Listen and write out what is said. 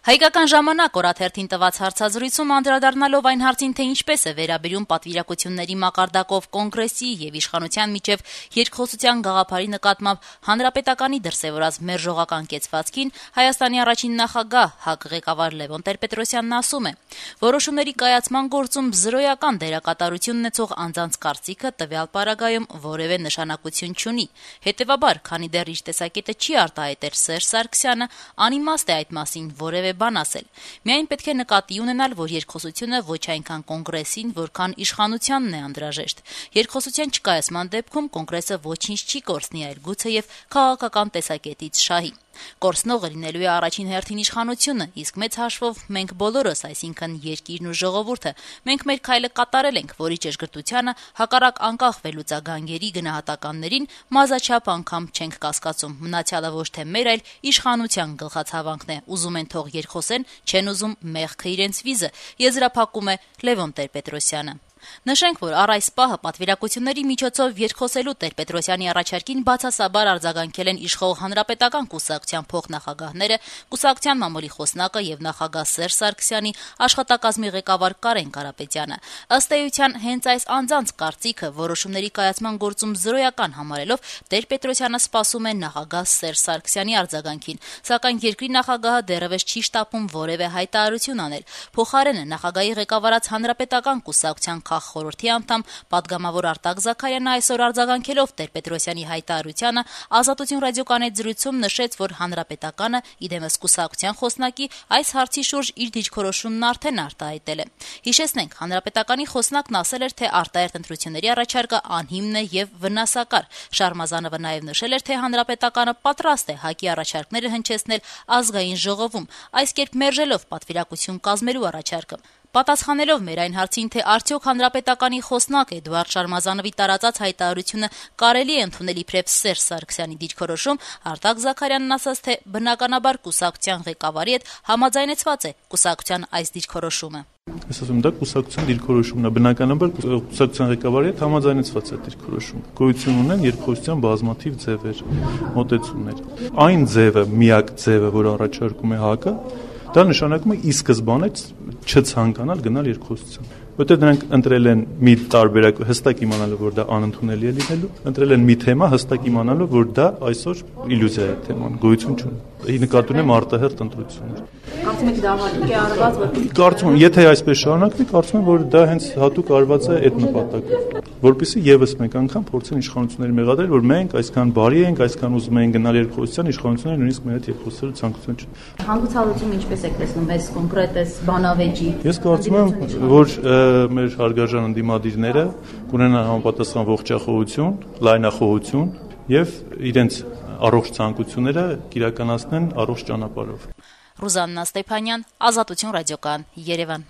Հայկական ժամանակ օրաթերթին տված հարցազրույցում անդրադառնալով այն հարցին, թե ինչպես է վերաբերում պատվիրակությունների մակարդակով կոնգրեսի եւ իշխանության միջև երկխոսության գաղափարի նկատմամբ հանրապետականի դրսեւորած մերժողական կեցվածքին, Հայաստանի առաջին նախագահ ՀԱԿ ղեկավար Լևոն Տեր-Պետրոսյանն ասում է. որոշումների կայացման գործում զրոյական դերակատարություն ունեցող անձանց կարծիքը տվյալ պարագայում որևէ նշանակություն չունի։ Հետեւաբար, քանի դեռ իր տեսակետը չի արտահայտել Սերժ Սարգսյանը, անիմաստ է այդ մասին որևէ բան ասել։ Միայն պետք է նկատի ունենալ, որ երկխոսությունը ոչ այնքան կոնգրեսին, որքան իշխանությանն է անհրաժեշտ։ Երկխոսության չկայացման դեպքում կոնգրեսը ոչինչ չի կորցնի, այլ գուցեև քաղաքական տեսակետից շահի։ Կորցնողը լինելու է առաջին հերթին իշխանությունը, իսկ մեծ հաշվով մենք բոլորս, այսինքն երկիրն ու ժողովուրդը, մենք մեր քայլը կատարել ենք, որի ճշգրտությանը հակառակ անկախ վերլուծագանգերի գնահատականներին մազաչափ անգամ չենք կասկածում։ Մնացյալը ոչ թե մեր, այլ իշխանության գլխացավանքն է։ Ուզում են թող երկխոսեն, չեն ուզում մեղքը իրենց վիզը, եզրափակում է Լևոն Տեր-Պետրոսյանը։ Նշենք, որ առ այս պահը պատվիրակությունների միջոցով երկխոսելու Տեր-Պետրոսյանի առաջարկին բացասաբար արձագանքել են իշխող հանրապետական կուսակցության փոխնախագահները, կուսակցության մամուլի խոսնակը եւ նախագահ Սերժ Սարգսյանի աշխատակազմի ղեկավար Կարեն Կարապետյանը։ Ըստ էության, հենց այս անձանց կարծիքը որոշումների կայացման գործում զրոյական համարելով Տեր-Պետրոսյանը սպասում է նախագահ Սերժ Սարգսյանի արձագանքին, սակայն երկրի նախագահը դեռևս չի շտապում որևէ հայտարարություն անել։ Փոխարենը նախագահի ղեկավարած հանրապետական կուսակցության խորհրդի անդամ պատգամավոր Արտակ Զաքարյանը այսօր արձագանքելով Տեր-Պետրոսյանի հայտարարությանը Ազատություն ռադիոկայանի զրույցում նշեց, որ հանրապետականը իդեմս կուսակցության խոսնակի այս հարցի շուրջ իր դիրքորոշումն արդեն արտահայտել է։ Հիշեցնենք, հանրապետականի խոսնակն ասել էր, թե արտահերթ ընտրությունների առաջարկը անհիմն է եւ վնասակար։ Շարմազանովը նաեւ նշել էր, թե հանրապետականը պատրաստ է ՀԱԿ-ի առաջարկները հնչեցնել ազգային ժողովում, այս կերպ մերժելով պատվիրակություն կազմելու առաջարկը։ Պատասխանելով մեր այն հարցին, թե արդյոք հանրապետականի խոսնակ Էդուարդ Շարմազանովի տարածած հայտարարությունը կարելի է ընդունել իբրև Սերժ Սարգսյանի դիրքորոշում, Արտակ Զաքարյանն ասաց, թե բնականաբար կուսակցության ղեկավարի հետ համաձայնեցված է կուսակցության այս դիրքորոշումը։ Ես ասում եմ, դա կուսակցության դիրքորոշումն է, բնականաբար կուսակցության ղեկավարի հետ համաձայնեցված է դիրքորոշում։ Գոյություն ունեն երկխոսության բազմաթիվ ձևեր, մոտեցումներ։ Այն ձևը, միակ ձևը, որ առաջարկում է ՀԱԿ-ը, դա նշանակում է ի սկզբանե չցանկանալ գնալ երկխոսության։ Որտեղ դրանք ընտրել են մի տարբերակ, հստակ իմանալով, որ դա անընդունելի է լինելու, ընտրել են մի թեմա, հստակ իմանալով, որ դա այսօր իլյուզիա է թեման, գոյություն չունի։ Նկատի ունեմ արտահերթ ընտրություններ։ Կարծում եք դա հատուկ է արված, որ Կարծում եմ, եթե այսպես շարունակվի, կարծում եմ, որ դա հենց հատուկ արված է այդ նպատակով, որպեսզի եւս մեկ անգամ փորձեն իշխանությունների մեղադրել, որ մենք այսքան բարի ենք, այսքան ուզում ենք գնալ երկխոսության, իշխանությունները նույնիսկ մեր հետ երկխոսելու ցանկություն չունեն։ Հանգուցալուծումը ինչպես եք տեսնում, այս կոնկրետ բանավեճի։ Ես կարծում եմ, որ մեր հարգարժան ընդդիմադիրները կունենան համապատասխան ողջախոհություն, լայնախոհություն եւ իրենց առողջ ցանկությունները կիրականացնեն առողջ ճանապարհով։ Ռուզաննա Ստեփանյան, Ազատություն ռադիոկայան, Երևան։